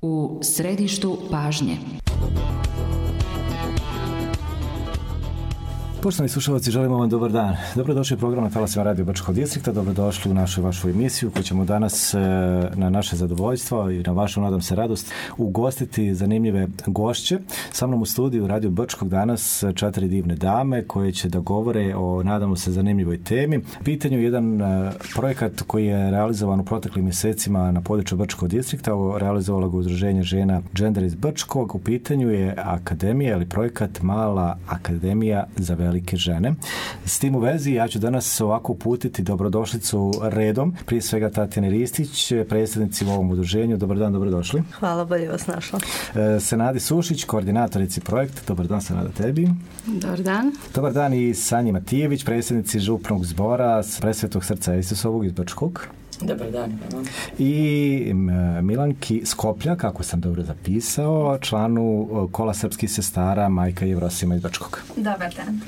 U središtu pažnje. Poštovani slušalci, želimo vam dobar dan. Dobrodošli u program na talasima Radio Brčkog distrikta, dobrodošli u vašu emisiju koju ćemo danas na naše zadovoljstvo i na vašu, nadam se, radost ugostiti zanimljive gošće. Sa mnom u studiju Radio Brčkog danas 4 divne dame koje će da govore o, nadamo se, zanimljivoj temi. Pitanju jedan projekat koji je realizovan u proteklim mjesecima na području Brčkog distrikta, realizovalo ga Udruženje žena Gender iz Brčkog. U pitanju je akademija ili projekat Mala akademija za velike žene. S tim u vezi ja ću danas ovako uputiti dobrodošlicu redom. Prije svega Tatjana Ristić, predsjednici u ovom udruženju. Dobar dan, dobrodošli. Hvala, bolje vas našla. Senadi Sušić, koordinatorici projekta. Dobar dan, Senada, tebi. Dobar dan. Dobar dan i Sanji Matijević, predsjednici župnog zbora Presvetog srca Isusovog iz Brčkog. Dobar dan. I Milanki Skoplja, kako sam dobro zapisao, članu Kola srpskih sestara Majka Jevrosima iz Brčkog. Dobar dan.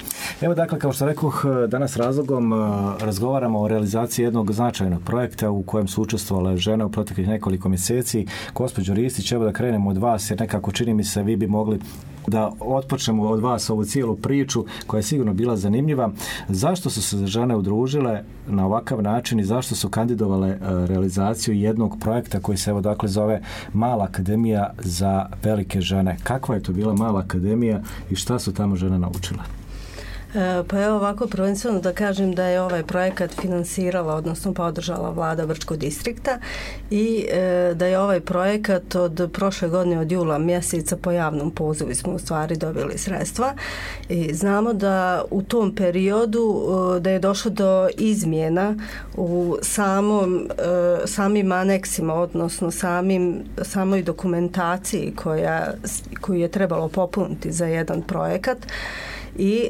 Evo, dakle, kao što rekoh, danas razlogom razgovaramo o realizaciji jednog značajnog projekta u kojem su učestvovale žene u proteklih nekoliko mjeseci. Gospođo Ristić, evo da krenemo od vas, jer nekako čini mi se vi bi mogli da otpočnemo od vas ovu cijelu priču koja je sigurno bila zanimljiva. Zašto su se žene udružile na ovakav način i zašto su kandidovale realizaciju jednog projekta koji se evo dakle zove Mala akademija za velike žene? Kakva je to bila Mala akademija i šta su tamo žene naučile? Pa evo ovako, prvenstveno da kažem da je ovaj projekat finansirala, odnosno podržala vlada Brčkog distrikta i da je ovaj projekat od prošle godine, od jula mjeseca, po javnom pozivu smo u stvari dobili sredstva i znamo da u tom periodu da je došlo do izmjena u samim aneksima, odnosno samoj dokumentaciji koju je trebalo popuniti za jedan projekat. I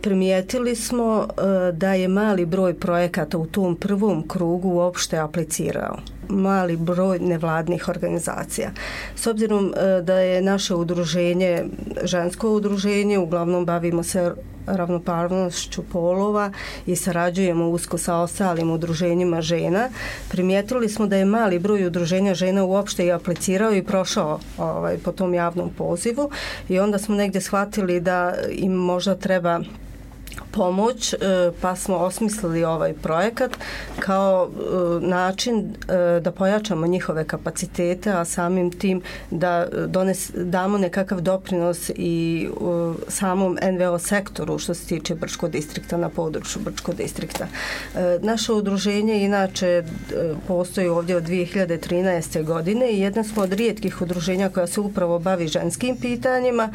primijetili smo da je mali broj projekata u tom prvom krugu uopšte aplicirao. Mali broj nevladnih organizacija. S obzirom da je naše udruženje žensko udruženje, uglavnom bavimo se ravnopravnošću polova i sarađujemo usko sa ostalim udruženjima žena, primijetili smo da je mali broj udruženja žena uopšte i aplicirao i prošao po tom javnom pozivu i onda smo negdje shvatili da im možda treba pomoć, pa smo osmislili ovaj projekat kao način da pojačamo njihove kapacitete, a samim tim da damo nekakav doprinos i samom NVO sektoru što se tiče Brčkog distrikta, na području Brčkog distrikta. Naše udruženje inače postoji ovdje od 2013. godine i jedna smo od rijetkih udruženja koja se upravo bavi ženskim pitanjima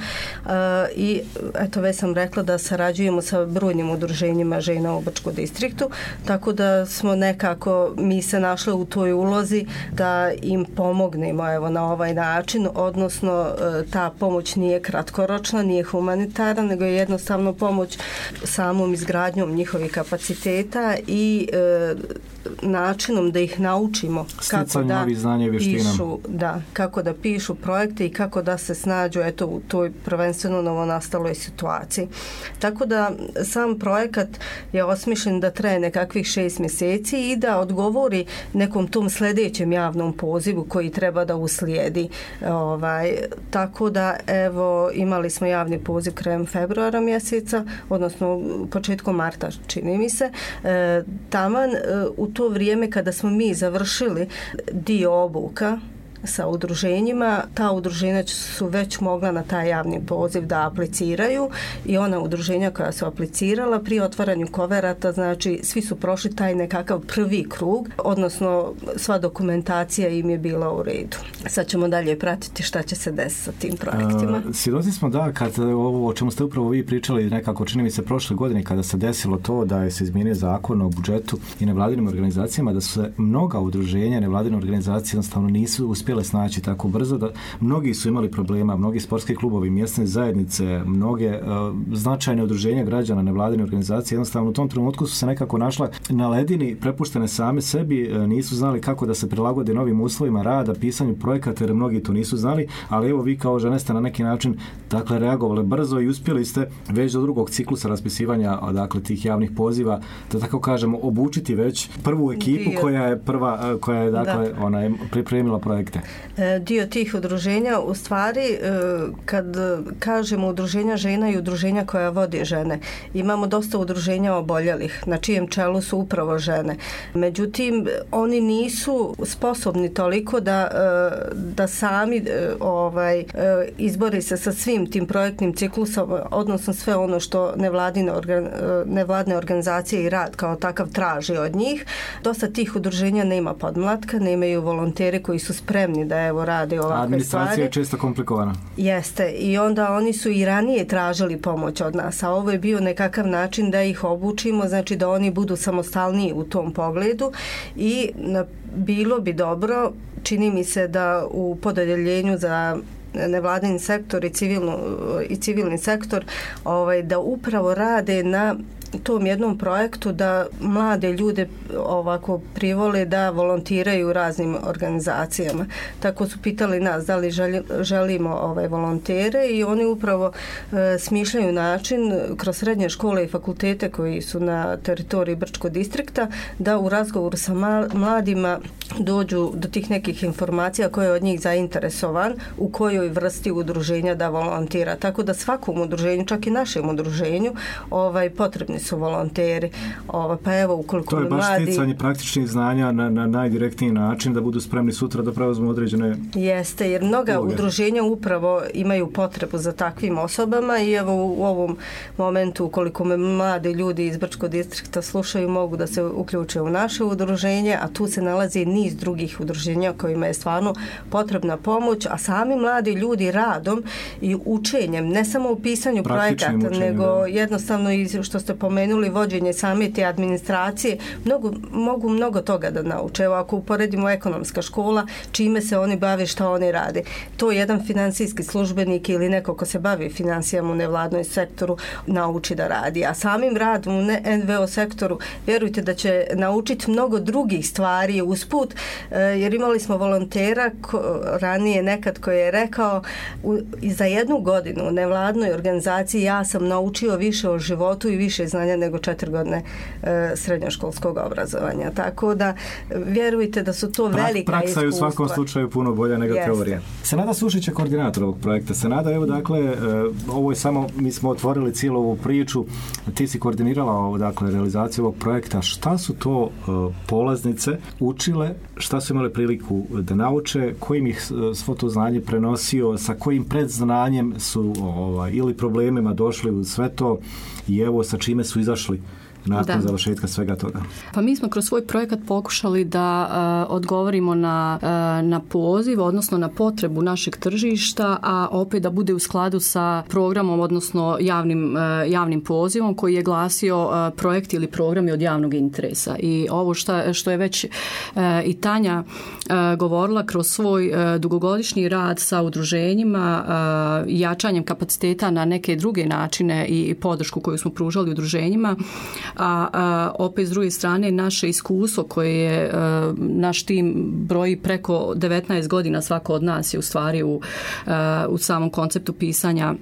i eto već sam rekla da sarađujemo sa brojnim udruženjima žena u Brčkom distriktu, tako da smo nekako mi se našli u toj ulozi da im pomognemo evo na ovaj način, odnosno ta pomoć nije kratkoročna, nije humanitarna, nego je jednostavno pomoć samom izgradnjom njihovih kapaciteta i načinom da ih naučimo kako da pišu, kako da pišu projekte i kako da se snađu eto u toj prvenstveno novonastaloj situaciji. Tako da sam projekat je osmišljen da traje nekakvih 6 mjeseci i da odgovori nekom tom sljedećem javnom pozivu koji treba da uslijedi. Tako da evo imali smo javni poziv krajem februara mjeseca, odnosno početkom marta čini mi se. Taman u to vrijeme kada smo mi završili dio obuka sa udruženjima, ta udruženja su već mogla na taj javni poziv da apliciraju i ona udruženja koja su aplicirala pri otvaranju koverata, znači svi su prošli taj nekakav prvi krug, odnosno sva dokumentacija im je bila u redu. Sad ćemo dalje pratiti šta će se desiti sa tim projektima. Svjedoci smo da kad ovo o čemu ste upravo vi pričali nekako čini mi se prošle godine kada se desilo to da se izmijenio zakon o budžetu i nevladinim organizacijama, da su se mnoga udruženja nevladine organizacije jednostavno nisu uspjele snaći tako brzo, da mnogi su imali problema, mnogi sportski klubovi, mjesne zajednice, mnoge značajne udruženja građana, nevladine organizacije jednostavno u tom trenutku su se nekako našle na ledini, prepuštene same sebi, nisu znali kako da se prilagode novim uslovima rada, pisanju projekata, jer mnogi to nisu znali, ali evo vi kao žene ste na neki način dakle reagovali brzo i uspjeli ste već do drugog ciklusa raspisivanja dakle tih javnih poziva, da tako kažemo, obučiti već prvu ekipu koja je dakle ona je pripremila projekte. ženske? Dio tih udruženja, u stvari, kad kažemo udruženja žena i udruženja koja vodi žene, imamo dosta udruženja oboljelih, na čijem čelu su upravo žene. Međutim, oni nisu sposobni toliko da sami izbori se sa svim tim projektnim ciklusom, odnosno sve ono što nevladne organizacije i rad kao takav traži od njih. Dosta tih udruženja nema podmlatka, nemaju volonteri koji su spremni da rade ovakve stvari. Administracija je često komplikovana. Jeste, i onda oni su i ranije tražili pomoć od nas, a ovo je bio nekakav način da ih obučimo, znači da oni budu samostalniji u tom pogledu i bilo bi dobro, čini mi se da u podeljenju za nevladin sektor i civilni sektor da upravo rade na tom jednom projektu da mlade ljude ovako privole da volontiraju u raznim organizacijama. Tako su pitali nas da li želimo volontere i oni upravo smišljaju način kroz srednje škole i fakultete koji su na teritoriji Brčkog distrikta da u razgovoru sa mladima dođu do tih nekih informacija koje je od njih zainteresovan, u kojoj vrsti udruženja da volontira. Tako da svakom udruženju, čak i našem udruženju, potrebni su volonteri. Pa evo, ukoliko to je baš sticanje praktičnih znanja na najdirektniji način da budu spremni sutra da preuzmu određene... Jeste, jer mnoga udruženja upravo imaju potrebu za takvim osobama i evo u ovom momentu, ukoliko me mladi ljudi iz Brčkog distrikta slušaju, mogu da se uključe u naše udruženje, a tu se nalazi niz drugih udruženja kojima je stvarno potrebna pomoć, a sami mladi ljudi radom i učenjem, ne samo u pisanju projekata, nego jednostavno i što ste pomenuli, vođenje same te administracije, mogu mnogo toga da nauče. Evo, ako uporedimo ekonomska škola, čime se oni bave, šta oni rade. To jedan finansijski službenik ili neko ko se bavi financijama u nevladnoj sektoru nauči da radi. A samim radom u NVO sektoru, vjerujte da će naučiti mnogo drugih stvari usput, jer imali smo volontera ranije nekad koji je rekao za 1 godinu u nevladnoj organizaciji ja sam naučio više o životu i više znanja nego 4 godine srednjoškolskog obrazovanja. Tako da vjerujte da su to velika iskustva. Praksa je u svakom slučaju puno bolja nego teorija. Senada Sušić je koordinator ovog projekta. Senada, evo dakle, ovo je samo, mi smo otvorili cijelu ovu priču, ti si koordinirala realizaciju ovog projekta. Šta su to polaznice učile, šta su imali priliku da nauče, kojim ih svo to znanje prenosio, sa kojim predznanjem su ili problemima došli u sve to i evo sa čime su izašli nakon završetka svega toga. Pa mi smo kroz svoj projekat pokušali da odgovorimo na poziv, odnosno na potrebu našeg tržišta, a opet da bude u skladu sa programom, odnosno javnim pozivom koji je glasio projekt ili programi od javnog interesa. I ovo što je već i Tanja govorila kroz svoj dugogodišnji rad sa udruženjima, jačanjem kapaciteta na neke druge načine i podršku koju smo pružali udruženjima, a opet s druge strane naše iskustvo koje je naš tim broji preko 19 godina, svako od nas je u stvari u samom konceptu pisanja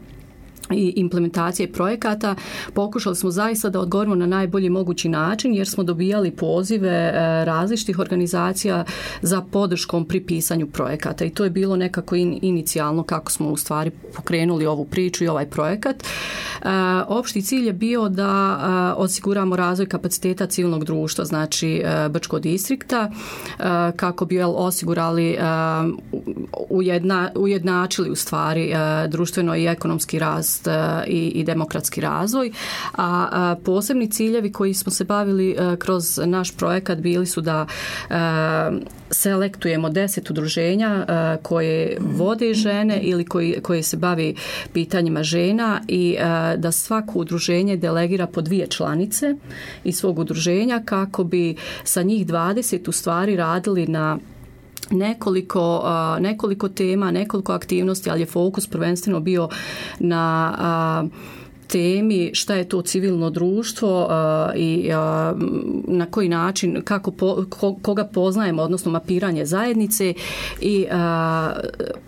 i implementacije projekata, pokušali smo zaista da odgovorimo na najbolji mogući način jer smo dobijali pozive različitih organizacija za podrškom pri pisanju projekata i to je bilo nekako inicijalno kako smo u stvari pokrenuli ovu priču i ovaj projekat. Opšti cilj je bio da osiguramo razvoj kapaciteta civilnog društva, znači Brčkog distrikta, kako bi osigurali, ujednačili u stvari društveno i ekonomski rast i demokratski razvoj. A posebni ciljevi koji smo se bavili kroz naš projekat bili su da selektujemo 10 udruženja koje vode žene ili koje se bavi pitanjima žena i da svako udruženje delegira po 2 članice iz svog udruženja kako bi sa njih 20 u stvari radili na nekoliko tema, nekoliko aktivnosti, ali je fokus prvenstveno bio na temi šta je to civilno društvo i na koji način, koga poznajemo, odnosno mapiranje zajednice i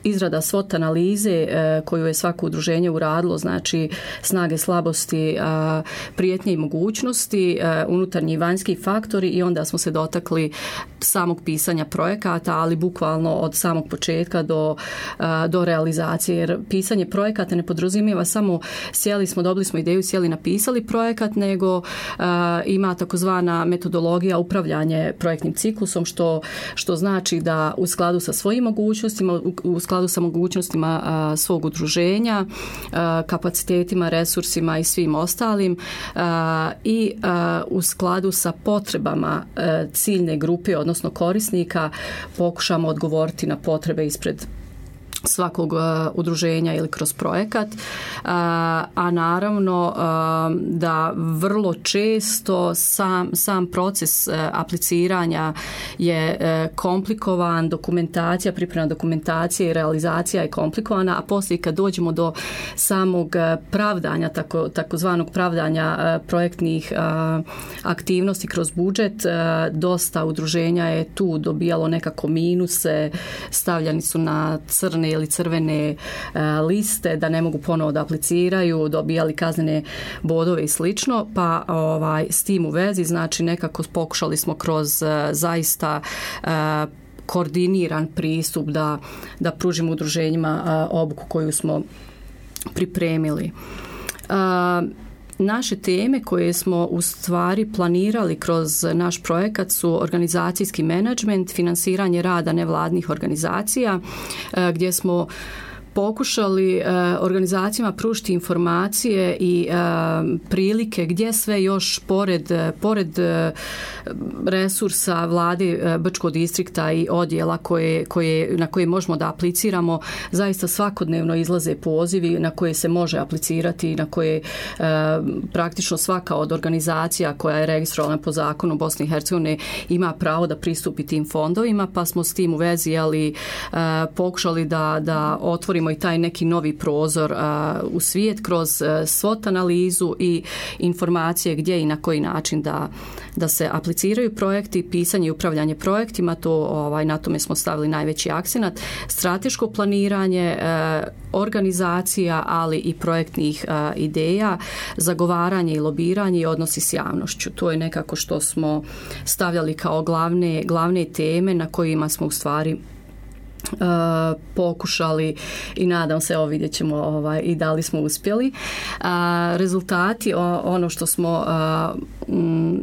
izrada SWOT analize koju je svako udruženje uradilo, znači snage, slabosti, prijetnje i mogućnosti, unutarnji i vanjski faktori, i onda smo se dotakli samog pisanja projekata, ali bukvalno od samog početka do realizacije, jer pisanje projekata ne podrazumijeva samo dobili smo ideju, sjeli, napisali projekat, nego ima takozvana metodologija upravljanje projektnim ciklusom, što znači da u skladu sa svojim mogućnostima, u skladu sa mogućnostima svog udruženja, kapacitetima, resursima i svim ostalim i u skladu sa potrebama ciljne grupe, odnosno korisnika, pokušamo odgovoriti na potrebe ispred svakog udruženja ili kroz projekat, a naravno da vrlo često sam proces apliciranja je komplikovan, priprema dokumentacije i realizacija je komplikovana, a poslije kad dođemo do samog pravdanja, takozvanog pravdanja projektnih aktivnosti kroz budžet, dosta udruženja je tu dobijalo nekako minuse, stavljani su na crne ili crvene liste, da ne mogu ponovo da apliciraju, dobijali kaznene bodove i slično, pa s tim u vezi, znači nekako pokušali smo kroz zaista koordiniran pristup da pružimo udruženjima obuku koju smo pripremili. Naše teme koje smo u stvari planirali kroz naš projekat su organizacijski menadžment, finansiranje rada nevladnih organizacija, gdje smo pokušali organizacijama pružiti informacije i prilike gdje sve još pored resursa vlade Brčkog distrikta i odjela na koje možemo da apliciramo, zaista svakodnevno izlaze pozivi na koje se može aplicirati, na koje praktično svaka od organizacija koja je registrovana po zakonu Bosne i Hercegovine ima pravo da pristupi tim fondovima, pa smo s tim u vezi pokušali da otvorimo i taj neki novi prozor u svijet kroz SWOT analizu i informacije gdje i na koji način da se apliciraju projekti, pisanje i upravljanje projektima, na tome smo stavili najveći akcenat, strateško planiranje organizacija, ali i projektnih ideja, zagovaranje i lobiranje i odnosi s javnošću. To je nekako što smo stavljali kao glavne teme na kojima smo u stvari pokušali i nadam se, vidjet ćemo i da li smo uspjeli. Rezultati, ono što smo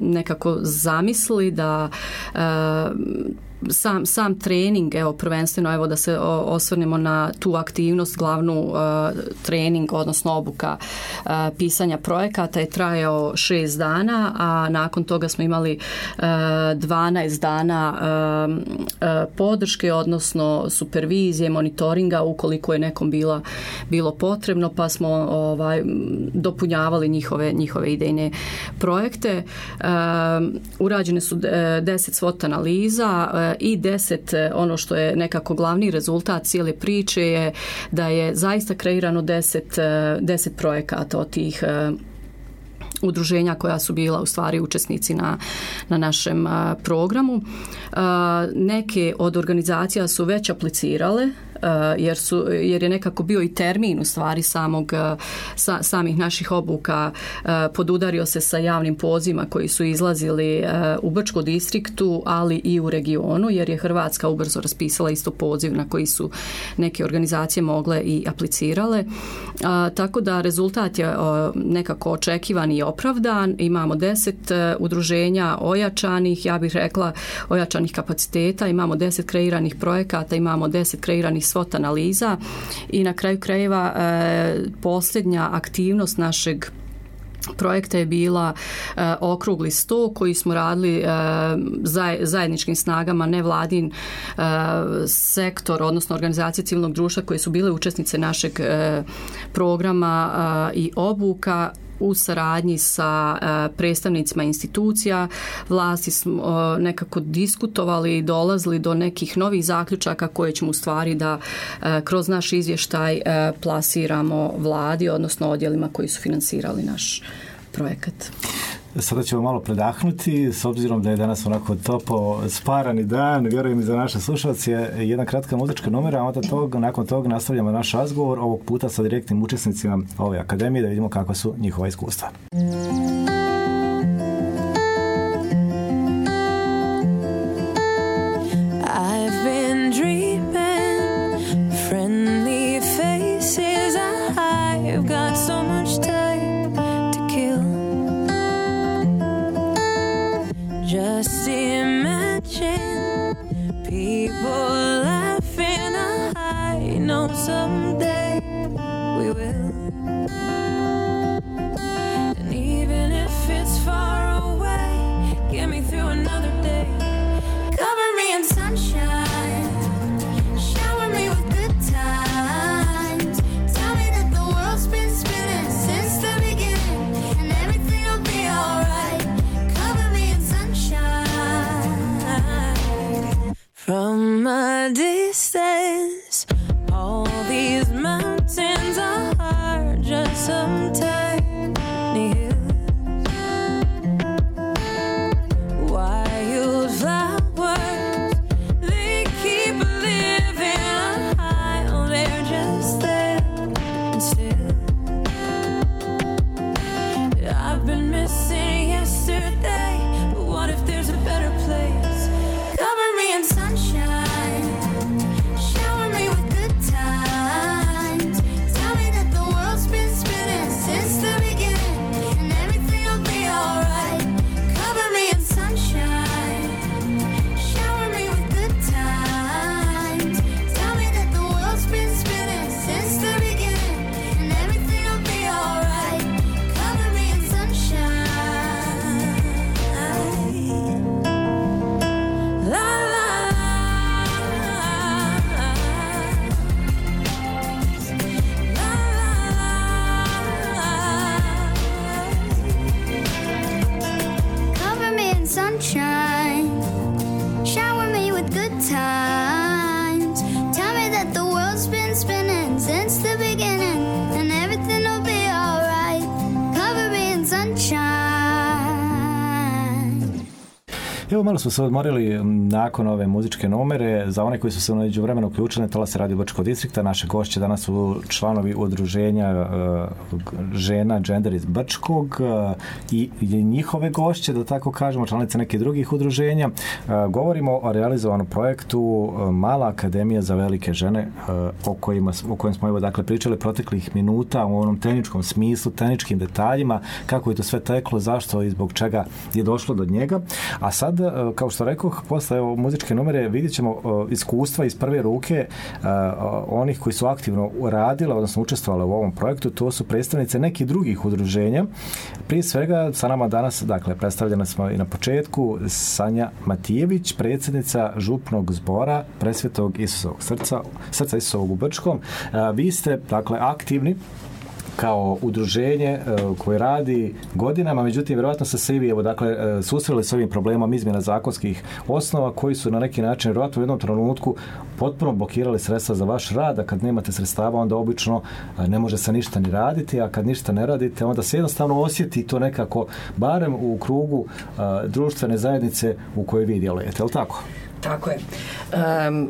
nekako zamislili da sam trening, prvenstveno da se osvrnemo na tu aktivnost, glavnu trening, odnosno obuka pisanja projekata je trajao 6 dana, a nakon toga smo imali 12 dana podrške, odnosno supervizije, monitoringa ukoliko je nekom bilo potrebno, pa smo dopunjavali njihove idejne projekte. Urađene su 10 SWOT analiza i 10, ono što je nekako glavni rezultat cijele priče je da je zaista kreirano 10 projekata od tih udruženja koja su bila u stvari učesnici na našem programu. Neke od organizacija su već aplicirale jer je nekako bio i termin u stvari samih naših obuka podudario se sa javnim pozivima koji su izlazili u Brčkom distriktu, ali i u regionu, jer je Hrvatska ubrzo raspisala isto poziv na koji su neke organizacije mogle i aplicirale. Tako da rezultat je nekako očekivan i opravdan. Imamo 10 udruženja ojačanih, ja bih rekla ojačanih kapaciteta, imamo 10 kreiranih projekata, imamo 10 kreiranih SWOT analiza i na kraju krajeva posljednja aktivnost našeg projekta je bila okrugli sto koji smo radili zajedničkim snagama nevladin sektor, odnosno organizacije civilnog društva koje su bile učesnice našeg programa i obuka u saradnji sa predstavnicima institucija vlasti smo nekako diskutovali i dolazili do nekih novih zaključaka koje ćemo u stvari da kroz naš izvještaj plasiramo vladi, odnosno odjelima koji su finansirali naš projekat. Sada ćemo malo predahnuti, s obzirom da je danas onako topo sparani dan, vjerujem i za naše slušalce, jedna kratka muzička numera, a onda nakon toga nastavljamo naš razgovor, ovog puta sa direktnim učesnicima ove akademije, da vidimo kakva su njihova iskustva. I've been dreaming, friendly faces, I've got so much time to kill. Just imagine people laughing, I know someday we will. And even if it's far away, get me through another day. Cover me in sunshine, shower me with good times. Tell me that the world's been spinning since the beginning, and everything will be alright. Cover me in sunshine. From a distance, all these mountains are just some tiny hills. Wildflowers, they keep living high, oh, they're just there and still. I've been missing yesterday, but what if there's a better place? Cover me in sunshine, shower me with good times. Tell me that the world's been spinning since the beginning, and everything will be alright. Cover me in sunshine, shower me with good times. Tell me that the world's been spinning since the beginning, and everything will be alright. Cover me in sunshine. La la Cover me in sunshine, shower me with good times. Tell me that the world's been spinning since the beginning, and everything will be alright. Cover me in sunshine. Evo, malo smo se odmorili nakon ove muzičke numere. Za one koji su se u međuvremenu uključili, Talas Radio Brčkog distrikta, naše gošće danas su članovi udruženja žena Gender iz Brčkog i njihove gošće, da tako kažemo, članice nekih drugih udruženja. Govorimo o realizovanom projektu Mala akademija za velike žene, o kojem smo dakle pričali proteklih minuta u onom tehničkom smislu, tehničkim detaljima, kako je to sve teklo, zašto i zbog čega je došlo do njega. A sad, kao što rekoh, posle muzičke numere vidjet ćemo iskustva iz prve ruke onih koji su aktivno radile, odnosno učestvovale u ovom projektu. To su predstavnice nekih drugih udruženja. Prije svega sa nama danas, dakle, predstavljena smo i na početku, Sanja Matijević, predsjednica župnog zbora Presvetog Isusovog srca Isusovog u Brčkom. Vi ste, dakle, aktivni kao udruženje koje radi godinama, međutim, vjerojatno ste se i vi, susreli s ovim problemom izmjena zakonskih osnova koji su na neki način vjerojatno u jednom trenutku potpuno blokirali sredstva za vaš rad, a kad nemate sredstava, onda obično ne može se ništa ni raditi, a kad ništa ne radite, onda se jednostavno osjeti to nekako, barem u krugu društvene zajednice u kojoj vi djelujete, je li tako? Tako je.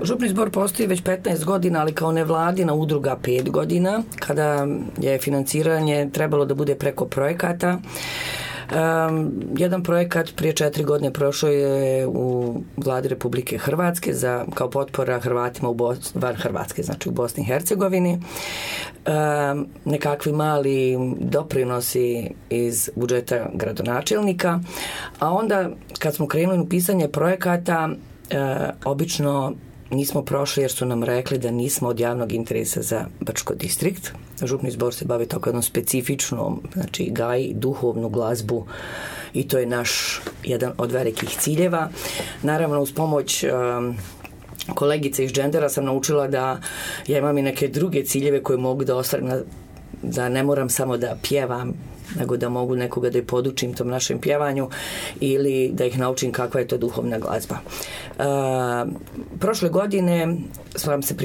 Župni zbor postoji već 15 godina, ali kao nevladina udruga 5 godina, kada je financiranje trebalo da bude preko projekata. Jedan projekat prije 4 godine prošao je u Vladi Republike Hrvatske kao potpora Hrvatima van Hrvatske, znači u Bosni i Hercegovini. Nekakvi mali doprinosi iz budžeta gradonačelnika, a onda kad smo krenuli u pisanje projekata, obično nismo prošli jer su nam rekli da nismo od javnog interesa za Brčko distrikt. Župni zbor se bavi tako jednom specifičnom, znači gaji duhovnu glazbu i to je naš jedan od velikih ciljeva. Naravno, uz pomoć kolegice iz Gendera sam naučila da ja imam i neke druge ciljeve koje mogu da ostvarim, da ne moram samo da pjevam nego da mogu nekoga da ih podučim tom našem pjevanju ili da ih naučim kakva je to duhovna glazba. Prošle godine sam se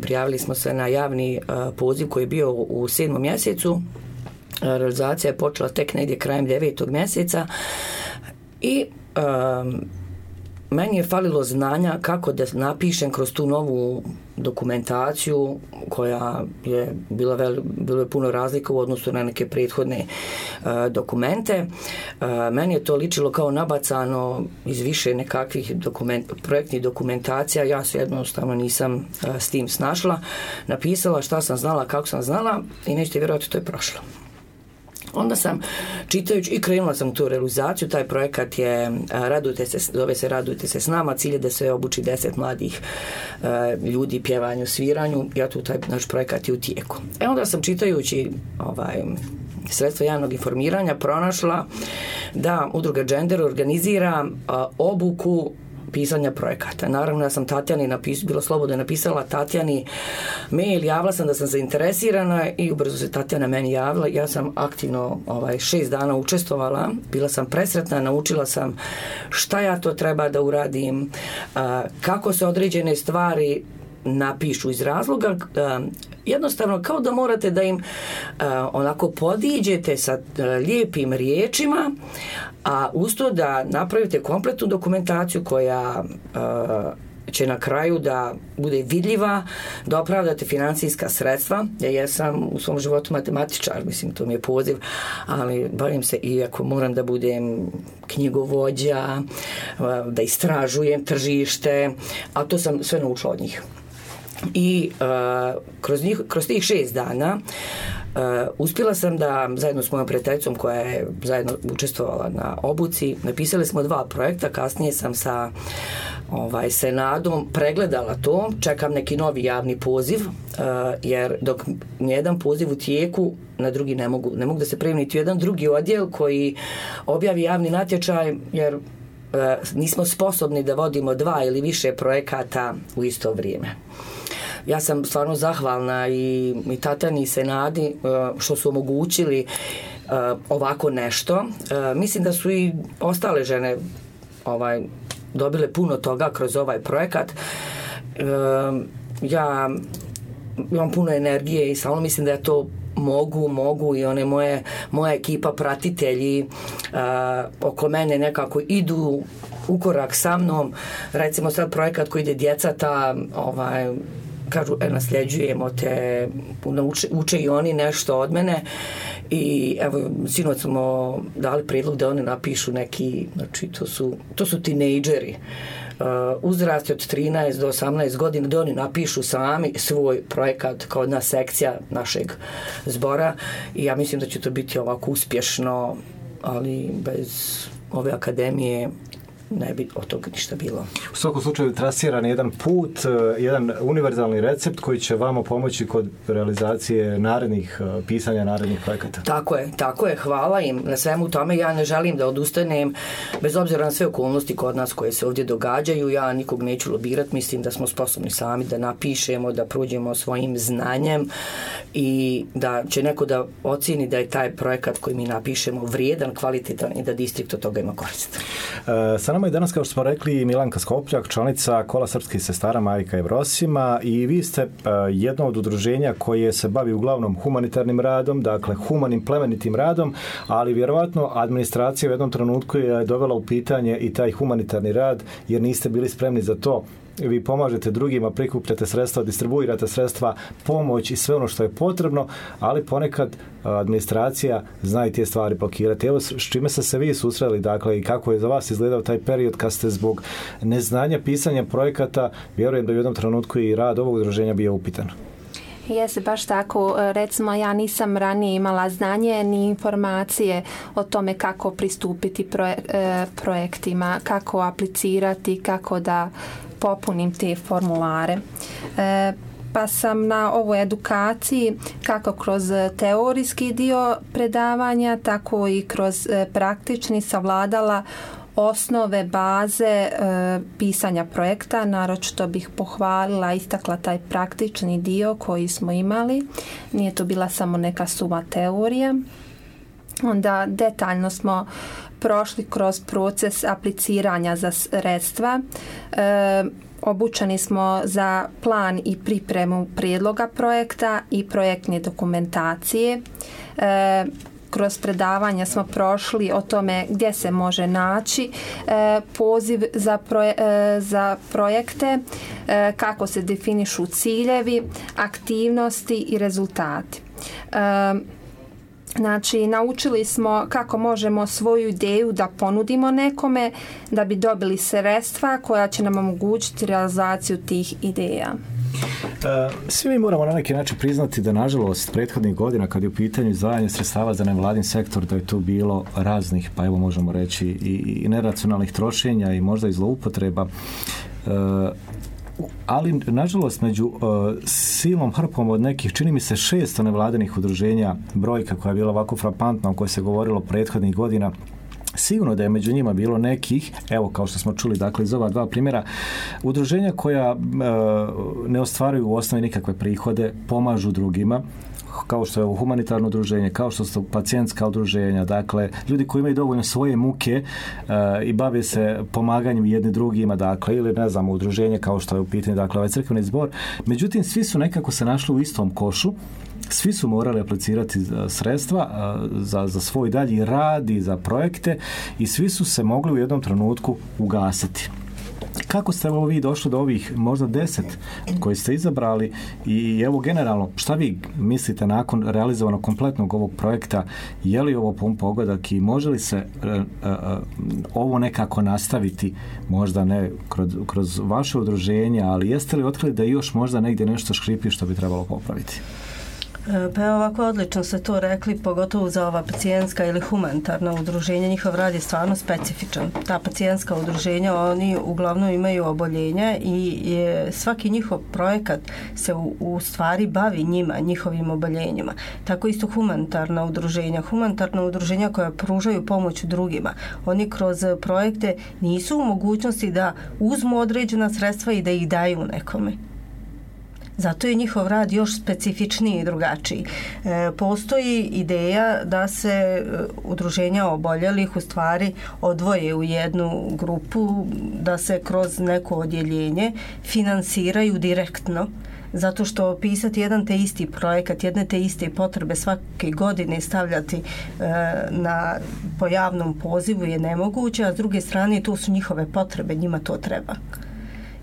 prijavili smo se na javni poziv koji je bio u 7. mjesecu. Realizacija je počela tek negdje krajem 9. mjeseca i meni je falilo znanja kako da napišem kroz tu novu dokumentaciju koja je bilo je puno razlika u odnosu na neke prethodne dokumente. Meni je to ličilo kao nabacano iz više nekakvih projektnih dokumentacija. Ja se jednostavno nisam s tim snašla. Napisala šta sam znala, kako sam znala i nećete vjerovati, to je prošlo. Onda sam čitajući i krenula sam u tu realizaciju. Taj projekat je zove se Radujte se s nama. Cilj je da se obuči 10 mladih ljudi pjevanju, sviranju. Ja tu taj naš projekat je u tijeku. Onda sam čitajući sredstva javnog informiranja pronašla da udruga Gender organizira obuku pisanja projekata. Naravno, ja sam Tatjani bilo slobodno napisala Tatjani mail, javila sam da sam zainteresirana i ubrzo se Tatjana meni javila. Ja sam aktivno 6 dana učestvovala, bila sam presretna, naučila sam šta ja to treba da uradim, kako se određene stvari napišu iz razloga jednostavno kao da morate da im onako podiđete sa lijepim riječima, a usto da napravite kompletnu dokumentaciju koja će na kraju da bude vidljiva, da opravdate financijska sredstva. Ja jesam u svom životu matematičar, mislim, to mi je poziv, ali bavim se i ako moram da budem knjigovođa, da istražujem tržište, a to sam sve naučila od njih. I kroz tih 6 dana uspjela sam da zajedno s mojom prijateljicom koja je zajedno učestvovala na obuci, napisali smo 2 projekta, kasnije sam sa Senadom pregledala to, čekam neki novi javni poziv, jer dok nijedan poziv u tijeku, na drugi ne mogu da se prijavim niti jedan drugi odjel koji objavi javni natječaj, jer nismo sposobni da vodimo 2 ili više projekata u isto vrijeme. Ja sam stvarno zahvalna i Tatjani i Senadi što su omogućili ovako nešto. Mislim da su i ostale žene dobile puno toga kroz ovaj projekat. Ja imam puno energije i samo mislim da ja to mogu i one moja ekipa pratitelji oko mene nekako idu u korak sa mnom. Recimo sad projekat koji ide djeca kažu, nasljeđujemo te, uče i oni nešto od mene i evo, sinoć smo dali prijedlog da oni napišu neki, znači to su tinejdžeri, uzrasti od 13 do 18 godina, da oni napišu sami svoj projekat kao jedna sekcija našeg zbora i ja mislim da će to biti ovako uspješno, ali bez ove akademije ne bi od toga ništa bilo. U svakom slučaju trasiran jedan put, jedan univerzalni recept koji će vama pomoći kod realizacije pisanja narednih projekata. Tako je. Hvala im na svemu tome. Ja ne želim da odustanem, bez obzira na sve okolnosti kod nas koje se ovdje događaju. Ja nikog neću lobirati. Mislim da smo sposobni sami da napišemo, da prođemo svojim znanjem i da će neko da ocjeni da je taj projekat koji mi napišemo vrijedan, kvalitetan i da distrikt od toga ima korist. Sa nama je danas, kao što smo rekli, Milanka Skopljak, članica Kola srpskih sestara Majka Evrosima, i vi ste jedno od udruženja koje se bavi uglavnom humanitarnim radom, dakle humanim plemenitim radom, ali vjerovatno administracija u jednom trenutku je dovela u pitanje i taj humanitarni rad, jer niste bili spremni za to. Vi pomažete drugima, prikupljate sredstva, distribuirate sredstva, pomoć i sve ono što je potrebno, ali ponekad administracija zna i te stvari blokirati. Evo, s čime ste se vi susreli, dakle, i kako je za vas izgledao taj period kad ste zbog neznanja pisanja projekata, vjerujem da u jednom trenutku i rad ovog udruženja bio upitan. Jeste, baš tako. Recimo, ja nisam ranije imala znanje ni informacije o tome kako pristupiti projektima, kako aplicirati, kako da popunim te formulare. Pa sam na ovoj edukaciji kako kroz teorijski dio predavanja, tako i kroz praktični savladala osnove baze pisanja projekta. Naročito bih pohvalila, istakla taj praktični dio koji smo imali. Nije to bila samo neka suva teorija. Onda detaljno smo prošli kroz proces apliciranja za sredstva. Obučeni smo za plan i pripremu prijedloga projekta i projektne dokumentacije. Kroz predavanja smo prošli o tome gdje se može naći poziv za projekte, kako se definišu ciljevi, aktivnosti i rezultati. Znači, naučili smo kako možemo svoju ideju da ponudimo nekome da bi dobili sredstva koja će nam omogućiti realizaciju tih ideja. Svi mi moramo na neki način priznati da nažalost prethodnih godina kad je u pitanju izdvajanje sredstava za nevladin sektor da je tu bilo raznih, pa evo možemo reći i neracionalnih trošenja i možda i zloupotreba. Ali nažalost među silom hrpom od nekih, čini mi se 600 nevladinih udruženja, brojka koja je bila ovako frapantna o kojoj se govorilo prethodnih godina, sigurno da je među njima bilo nekih, evo kao što smo čuli dakle iz ova dva primjera, udruženja koja ne ostvaruju u osnovi nikakve prihode, pomažu drugima, kao što je ovo humanitarno udruženje, kao što su pacijentska udruženja, dakle ljudi koji imaju dovoljno svoje muke i bave se pomaganjem jedni drugima, dakle, ili ne znam, udruženje kao što je u pitanju, dakle, ovaj crkveni zbor. Međutim, svi su nekako se našli u istom košu, svi su morali aplicirati sredstva za svoj dalji rad i za projekte i svi su se mogli u jednom trenutku ugasiti. Kako ste evo vi došli do ovih možda 10 koji ste izabrali i evo generalno šta vi mislite nakon realizovanog kompletnog ovog projekta, je li ovo pun pogodak i može li se ovo nekako nastaviti, možda ne kroz vaše udruženje, ali jeste li otkrili da još možda negdje nešto škripi što bi trebalo popraviti? Pa evo ovako odlično ste to rekli, pogotovo za ova pacijentska ili humanitarna udruženja, njihov rad je stvarno specifičan. Ta pacijentska udruženja, oni uglavnom imaju oboljenja i svaki njihov projekat se u stvari bavi njima, njihovim oboljenjima. Tako isto humanitarna udruženja koja pružaju pomoć drugima. Oni kroz projekte nisu u mogućnosti da uzmu određena sredstva i da ih daju nekome. Zato je njihov rad još specifičniji i drugačiji. Postoji ideja da se udruženja oboljelih u stvari odvoje u jednu grupu, da se kroz neko odjeljenje finansiraju direktno, zato što pisati jedan te isti projekat, jedne te iste potrebe svake godine stavljati po javnom pozivu je nemoguće, a s druge strane to su njihove potrebe, njima to treba.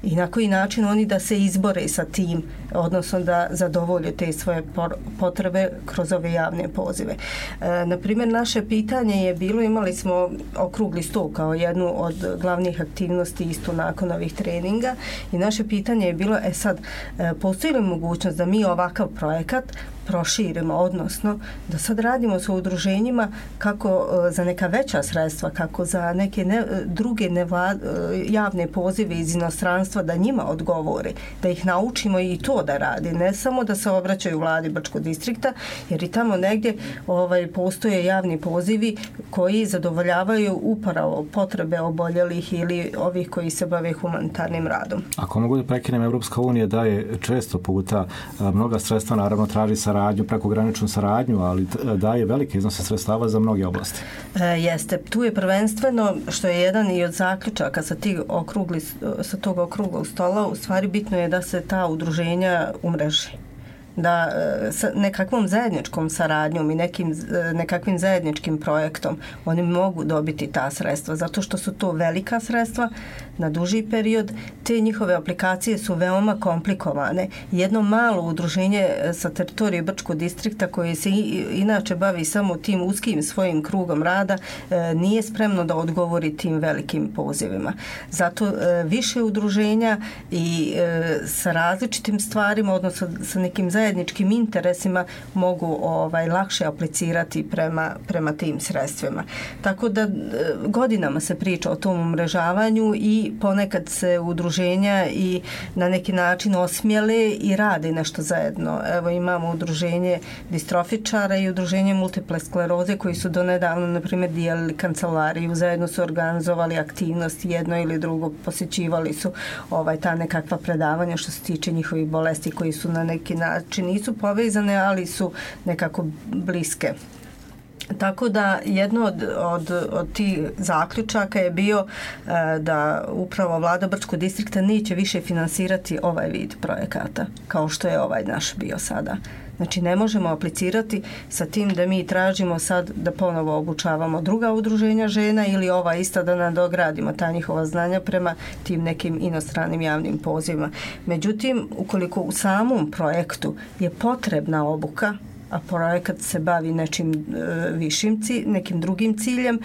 I na koji način oni da se izbore sa tim, odnosno da zadovolje te svoje potrebe kroz ove javne pozive. Naprimjer, naše pitanje je bilo, imali smo okrugli stol kao jednu od glavnih aktivnosti isto nakon ovih treninga i naše pitanje je bilo, postoji li mogućnost da mi ovakav projekat proširimo, odnosno da sad radimo sa udruženjima kako za neka veća sredstva, kako za neke druge javne pozive iz inostranstva da njima odgovore, da ih naučimo i to da radi, ne samo da se obraćaju vladi Brčkog distrikta, jer i tamo negdje postoje javni pozivi koji zadovoljavaju upravo potrebe oboljelih ili ovih koji se bave humanitarnim radom. Ako mogu da prekinem, Evropska unija daje često puta mnoga sredstva, naravno traži saradnju, prekograničnu saradnju, ali daje velike iznose sredstava za mnoge oblasti. Jeste. Tu je prvenstveno, što je jedan i od zaključaka sa tog okruglog stola, u stvari bitno je da se ta udruženja umreži. Da sa nekakvom zajedničkom saradnjom i nekakvim zajedničkim projektom oni mogu dobiti ta sredstva, zato što su to velika sredstva na duži period. Te njihove aplikacije su veoma komplikovane. Jedno malo udruženje sa teritorije Brčkog distrikta koje se inače bavi samo tim uskim svojim krugom rada nije spremno da odgovori tim velikim pozivima. Zato više udruženja i sa različitim stvarima, odnosno sa nekim zajedničkim interesima mogu lakše aplicirati prema tim sredstvima. Tako da godinama se priča o tom umrežavanju i ponekad se udruženja i na neki način osmijele i rade nešto zajedno. Evo imamo udruženje distrofičara i udruženje multiple skleroze koji su donedavno, na primjer, dijelili kancelariju, zajedno su organizovali aktivnosti, jedno ili drugo, posjećivali su ta nekakva predavanja što se tiče njihovih bolesti koji su na neki način nisu povezane, ali su nekako bliske. Tako da jedno od tih zaključaka je bio da upravo vlada Brčkog distrikta neće više finansirati ovaj vid projekata kao što je ovaj naš bio sada. Znači ne možemo aplicirati sa tim da mi tražimo sad da ponovo obučavamo druga udruženja žena ili ova ista da nadogradimo ta njihova znanja prema tim nekim inostranim javnim pozivima. Međutim, ukoliko u samom projektu je potrebna obuka, a projekat se bavi nečim višim nekim drugim ciljem,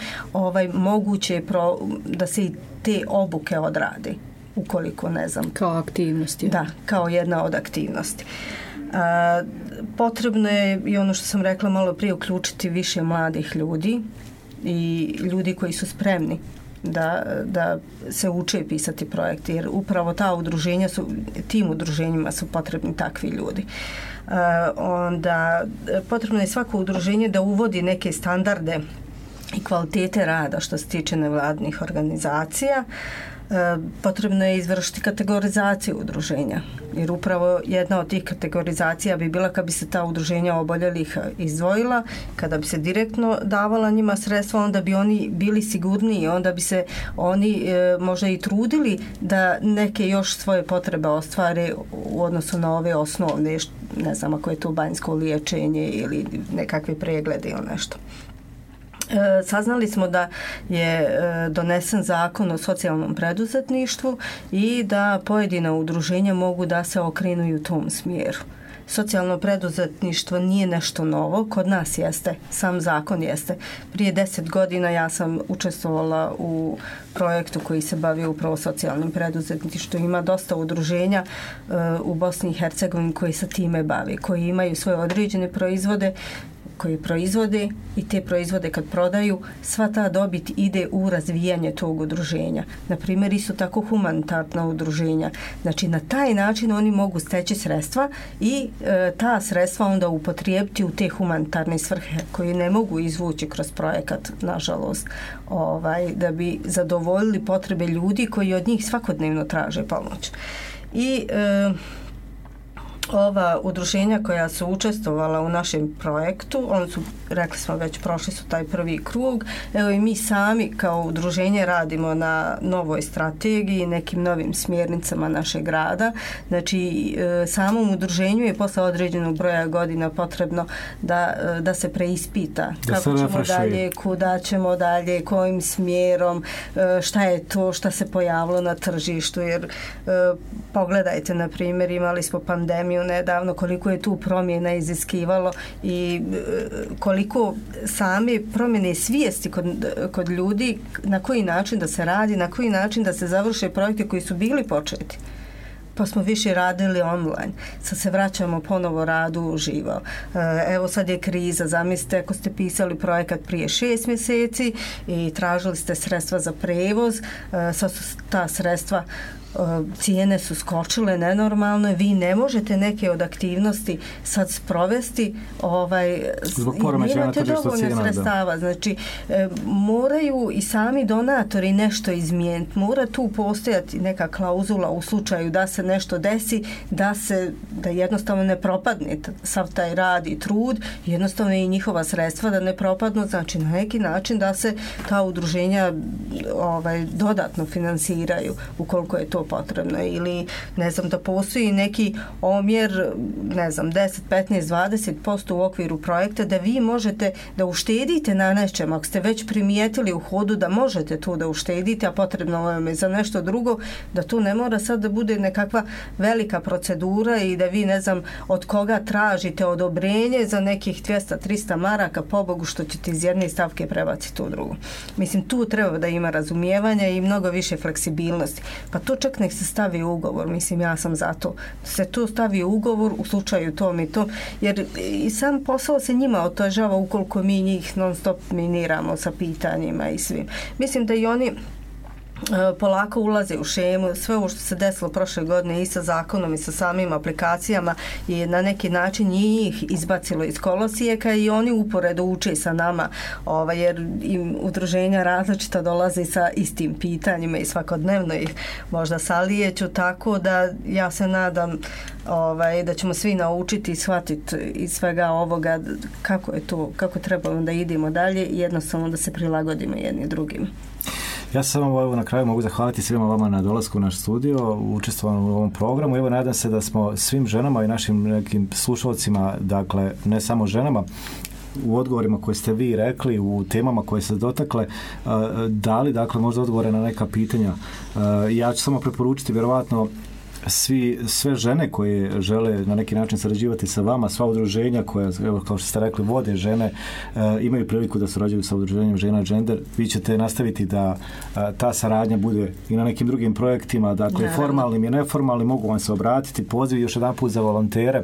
moguće je da se i te obuke odrade, ukoliko ne znam. Kao aktivnosti. Da, kao jedna od aktivnosti. Potrebno je i ono što sam rekla malo prije uključiti više mladih ljudi i ljudi koji su spremni da se uče pisati projekte, jer upravo ta udruženja tim udruženjima su potrebni takvi ljudi. Onda potrebno je svako udruženje da uvodi neke standarde i kvalitete rada što se tiče nevladnih organizacija. Potrebno je izvršiti kategorizaciju udruženja, jer upravo jedna od tih kategorizacija bi bila kad bi se ta udruženja oboljelih izdvojila, kada bi se direktno davala njima sredstva, onda bi oni bili sigurniji, onda bi se oni možda i trudili da neke još svoje potrebe ostvare u odnosu na ove osnovne, ne znam ako je to banjsko liječenje ili nekakve preglede ili nešto. Saznali smo da je donesen zakon o socijalnom preduzetništvu i da pojedina udruženja mogu da se okrenu i u tom smjeru. Socijalno preduzetništvo nije nešto novo, kod nas jeste, sam zakon jeste. Prije 10 godina ja sam učestvovala u projektu koji se bavi upravo socijalnim preduzetništvom. Ima dosta udruženja u Bosni i Hercegovini koji se time bavi, koji imaju svoje određene proizvode, koji proizvode i te proizvode kad prodaju, sva ta dobit ide u razvijanje tog udruženja. Na primjer, isto tako humanitarna udruženja. Znači, na taj način oni mogu steći sredstva i ta sredstva onda upotrijebiti u te humanitarne svrhe koje ne mogu izvući kroz projekat, nažalost, da bi zadovoljili potrebe ljudi koji od njih svakodnevno traže pomoć. I ova udruženja koja su učestvovala u našem projektu, oni su, rekli smo već, prošli su taj prvi krug. Evo i mi sami kao udruženje radimo na novoj strategiji, nekim novim smjernicama našeg grada. Znači, samom udruženju je posle određenog broja godina potrebno da se preispita kako ćemo dalje, kuda ćemo dalje, kojim smjerom, šta je to šta se pojavilo na tržištu, jer pogledajte, na primjer, imali smo pandemiju nedavno, koliko je tu promjena iziskivalo i koliko same promjene svijesti kod ljudi, na koji način da se radi, na koji način da se završe projekte koji su bili početi. Pa smo više radili online. Sad se vraćamo ponovo radu uživo. Evo sad je kriza. Zamislite ako ste pisali projekat prije 6 mjeseci i tražili ste sredstva za prevoz, sad su ta sredstva, cijene su skočile nenormalno, vi ne možete neke od aktivnosti sad sprovesti, nemate dovoljno sredstava. Znači, moraju i sami donatori nešto izmijeniti. Mora tu postojati neka klauzula u slučaju da se nešto desi, da jednostavno ne propadne sav taj rad i trud, jednostavno i njihova sredstva da ne propadnu, znači na neki način da se ta udruženja dodatno finansiraju ukoliko je to potrebno, ili ne znam, da postoji neki omjer, ne znam, 10, 15, 20% u okviru projekta da vi možete da uštedite na nečem, ako ste već primijetili u hodu da možete tu da uštedite, a potrebno vam je za nešto drugo, da to ne mora sad da bude nekakva velika procedura i da vi ne znam od koga tražite odobrenje za nekih 200-300 maraka, pobogu što ćete iz jedne stavke prebaciti u drugu. Mislim, tu treba da ima razumijevanja i mnogo više fleksibilnosti. Pa to čak nek se stavi u ugovor, mislim, ja sam za to. Se to stavi u ugovor u slučaju tom i tom, jer i sam posao se njima otežava ukoliko mi njih non stop miniramo sa pitanjima i svim. Mislim da i oni polako ulaze u šemu. Sve ovo što se desilo prošle godine i sa zakonom i sa samim aplikacijama je na neki način njih izbacilo iz kolosijeka i oni uporedo uče sa nama, jer im udruženja različita dolaze sa istim pitanjima i svakodnevno ih možda salijeću, tako da ja se nadam da ćemo svi naučiti i shvatiti iz svega ovoga kako je to, kako trebamo da idemo dalje i jednostavno da se prilagodimo jedni drugim. Ja se samo na kraju mogu zahvaliti svima vama na dolasku u naš studio, učestvovanju u ovom programu. Evo, nadam se da smo svim ženama i našim nekim slušalcima, dakle ne samo ženama, u odgovorima koje ste vi rekli, u temama koje ste dotakle, dali dakle možda odgovore na neka pitanja. Ja ću samo preporučiti vjerovatno sve žene koje žele na neki način sarađivati sa vama, sva udruženja koja, evo, kao što ste rekli, vode žene, imaju priliku da surađuju sa udruženjem Žena Gender. Vi ćete nastaviti da ta saradnja bude i na nekim drugim projektima, dakle formalnim i neformalnim, mogu vam se obratiti. Poziv još jedan put za volontere,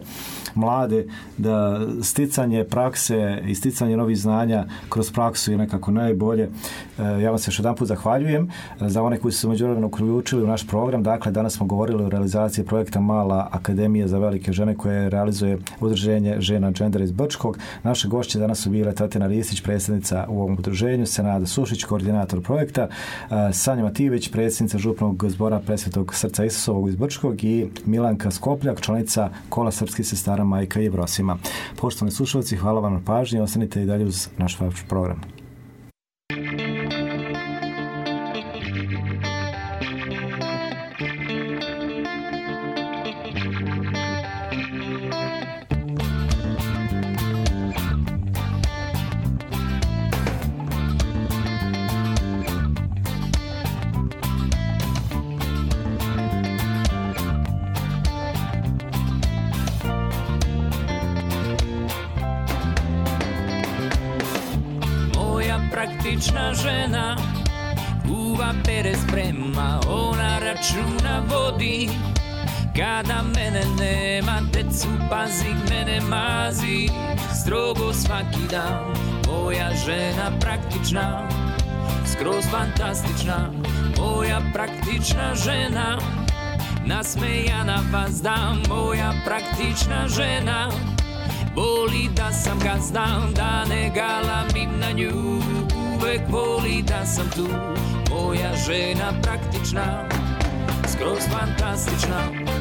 mlade, da sticanje prakse i sticanje novih znanja kroz praksu je nekako najbolje. Ja vam se još jedan put zahvaljujem. Za one koji su se međuvremeno uključili u naš program, dakle danas smo govorili o realizaciji projekta Mala akademija za velike žene koje realizuje udruženje Žena Gender iz Brčkog. Naše gošće danas su bile Tatjana Ristić, predsjednica u ovom udruženju, Senada Sušić, koordinator projekta, Sanja Matijević, predsjednica župnog zbora Presvetog srca Isusovog iz Brčkog i Milanka Skopljak, članica Kola srpskih sestara Majka i Jevrosima. Poštovani slušalci, hvala vam na pažnji, ostanite i dalje uz naš program. Praktična žena, kuva pere sprema, ona računa vodi. Kada mene nema, decu pazi, mene mazi, strogo svaki dan. Moja žena praktična, skroz fantastična, moja praktična žena, nasmejana vas dam, moja praktična žena. Voli da sam gazda, da ne galamim na nju, uvek voli da sam tu. Moja žena praktična, skroz fantastična.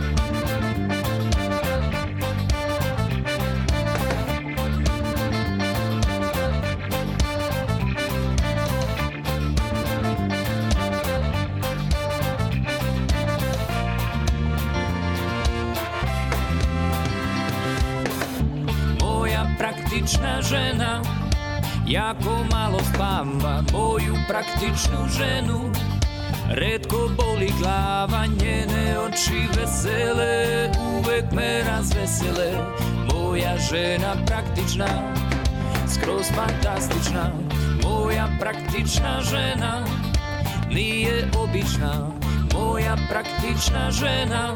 Praktična žena, jako malo spava, moju praktičnu ženu. Retko boli glava, njene oči vesele, uvek me razvesele. Moja žena praktična, skroz fantastična. Moja praktična žena, nije obična. Moja praktična žena,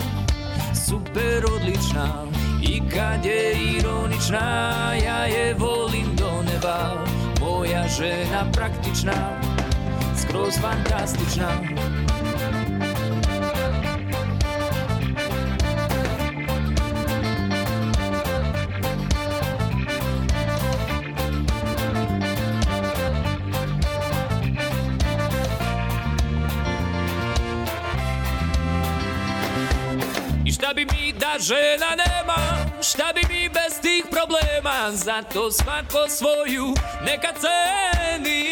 super odlična. I kad je ironična, ja je volim do neba. Moja žena praktična, skroz fantastična. Šta bi mi da žena nema, šta bi mi bez tih problema, zato svako svoju neka ceni.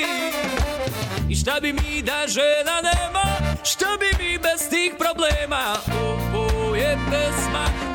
I šta bi mi da žena nema, šta bi mi bez tih problema, ovo je pesma